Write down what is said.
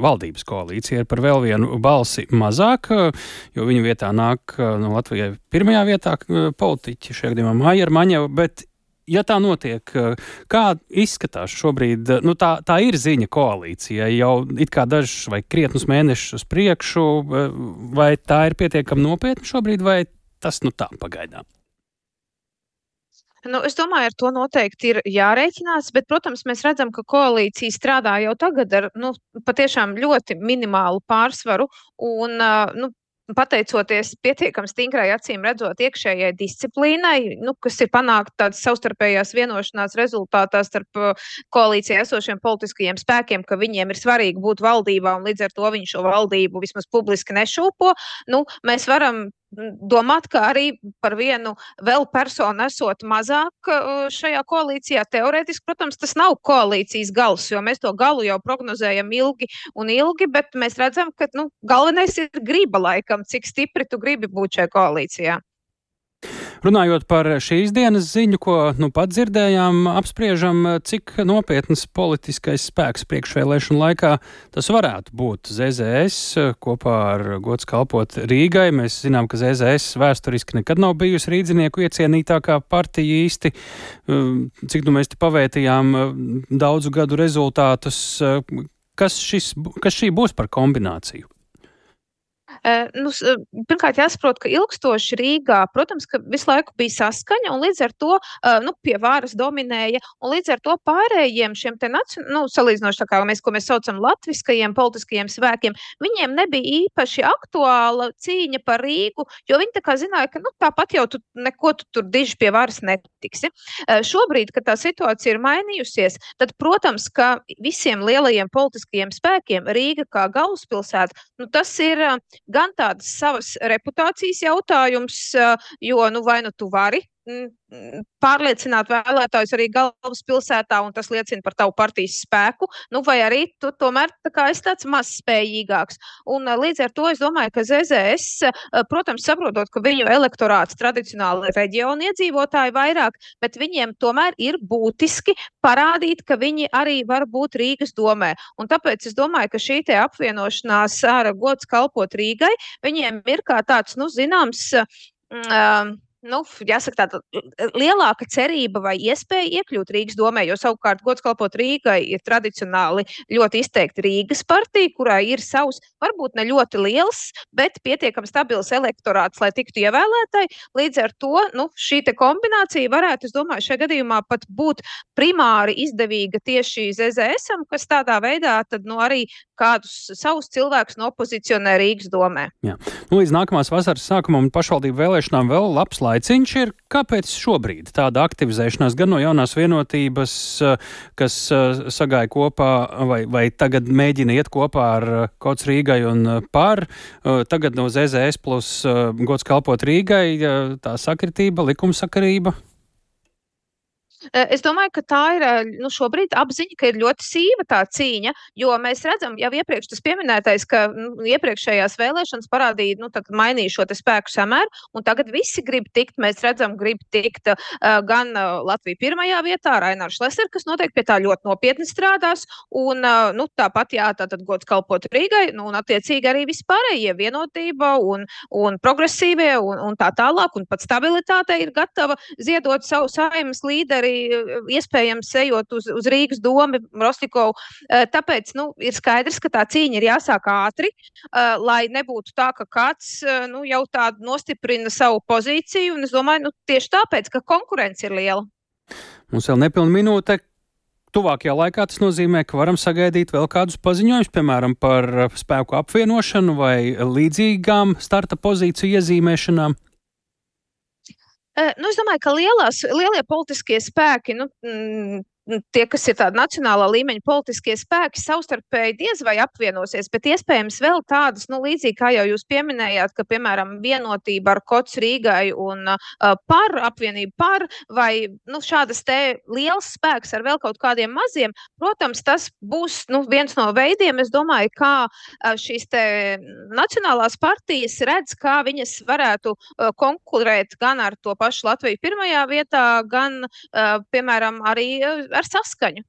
valdības koalīcija ir par vēl vienu balsi mazāk, jo viņa vietā nāk no Latvijai pirmajā vietā politiķi, šajā gadījumā Maija Maņeva, bet ja tā notiek, kā izskatās šobrīd, tā ir ziņa koalīcijai jau it kā dažus vai krietnus mēnešus uz priekšu, vai tā ir pietiekami nopietna šobrīd, vai tas tā pagaidām? Es domāju, ar to noteikti ir jārēķinās, bet, protams, mēs redzam, ka koalīcija strādā jau tagad ar, patiešām ļoti minimālu pārsvaru un, pateicoties pietiekami stingrai acīm redzot iekšējai disciplīnai, kas ir panākt tādas savstarpējās vienošanās rezultātā starp koalīcijā esošiem politiskajiem spēkiem, ka viņiem ir svarīgi būt valdībā un līdz ar to viņi šo valdību vismaz publiski nešūpo, mēs varam domāt, ka arī par vienu vēl personu esot mazāk šajā koalīcijā. Teorētiski, protams, tas nav koalīcijas gals, jo mēs to galu jau prognozējam ilgi, bet mēs redzam, ka galvenais ir griba laikam, cik stipri tu gribi būt šajā koalīcijā. Runājot par šīs dienas ziņu, ko pat dzirdējām, apspriežam, cik nopietnas politiskais spēks priekšvēlēšanu laikā tas varētu būt ZZS kopā ar gods kalpot Rīgai. Mēs zinām, ka ZZS vēsturiski nekad nav bijusi rīdzinieku iecienītākā partija īsti. Cik mēs te pavētījām daudzu gadu rezultātus, kas šī būs par kombināciju? Pirmkārt jāsaprot, ka ilgstoši Rīgā, protams, ka visu laiku bija saskaņa un līdz ar to pie varas dominēja un līdz ar to pārējiem šiem te salīdzinoši tā kā ko mēs saucam latviskajiem politiskajiem spēkiem, viņiem nebija īpaši aktuāla cīņa par Rīgu, jo viņi tā kā zināja, ka tāpat jau neko tu tur diži pie varas netiksi. Šobrīd, kad tā situācija ir mainījusies, tad, protams, ka visiem lielajiem politiskajiem spēkiem Rīga kā galvaspilsēta, tas ir gan tādas savas reputācijas jautājums, jo vai tu vari pārliecināt vēlētājus arī galvaspilsētā, un tas liecina par tavu partijas spēku, vai arī tu tomēr esi tāds mazspējīgāks. Un līdz ar to es domāju, ka ZZS, protams, saprotot, ka viņu elektorāts tradicionāli ir reģionu iedzīvotāji vairāk, bet viņiem tomēr ir būtiski parādīt, ka viņi arī var būt Rīgas domē. Un tāpēc es domāju, ka šī te apvienošanās ar gods kalpot Rīgai, viņiem ir kā tāds, zināms, jāsaka tāda lielāka cerība vai iespēja iekļūt Rīgas domē, jo savukārt gods kalpot Rīgai ir tradicionāli ļoti izteikti Rīgas partija, kurai ir savs, varbūt ne ļoti liels, bet pietiekami stabils elektorāts, lai tiktu ievēlētai. Līdz ar to, šī te kombinācija varētu, es domāju, šajā gadījumā pat būt primāri izdevīga tieši ZZS-am, kas tādā veidā tad arī kādus savus cilvēkus nopozicionē Rīgas domē. Jā. Līdz nākamās vasaras sākumam un pašvaldību vēlēšanām vēl labs laiciņš ir. Kāpēc šobrīd tāda aktivizēšanās gan no jaunās vienotības, kas sagāja kopā vai tagad mēģina iet kopā ar Gods Rīgai un par, tagad no ZZS plus gods kalpot Rīgai, tā sakritība, likumsakarība? Es domāju, ka tā ir šobrīd apziņa, ka ir ļoti sīva tā cīņa, jo mēs redzam jau iepriekš tas pieminētais, ka iepriekšējās vēlēšanas parādīja, tad mainīja šo te spēku samēru, un tagad visi grib tikt, mēs redzam, grib tikt gan Latvija pirmajā vietā, Rainārs Šlesner, kas noteikti pie tā ļoti nopietni strādās, un tāpat tātad gods kalpot Rīgai, un attiecīgi arī vispārējie vienotība un progresīvie un tā tālāk, un pat stabilitāte ir gatava ziedot savu saeimas līderi, iespējams ejot uz Rīgas domu, Rostikovu. Tāpēc ir skaidrs, ka tā cīņa ir jāsāk ātri, lai nebūtu tā, ka kāds jau tādu nostiprina savu pozīciju, un es domāju, tieši tāpēc, ka konkurence ir liela. Mums vēl nepilna minūte. Tuvākajā laikā tas nozīmē, ka varam sagaidīt vēl kādus paziņojumus, piemēram, par spēku apvienošanu vai līdzīgām starta pozīciju iezīmēšanām. Es domāju, ka lielie politiskie spēki, tie, kas ir tādi nacionālā līmeņa politiskie spēki, savstarpēji diez vai apvienosies, bet iespējams vēl tādas, līdzīgi kā jau jūs pieminējāt, ka, piemēram, vienotība ar Gods Rīgai un par apvienību par, vai šādas te liels spēks ar vēl kaut kādiem maziem, protams, tas būs viens no veidiem, es domāju, kā šīs te nacionālās partijas redz, kā viņas varētu konkurēt gan ar to pašu Latviju pirmajā vietā, gan, piemēram, arī ar saskaņu.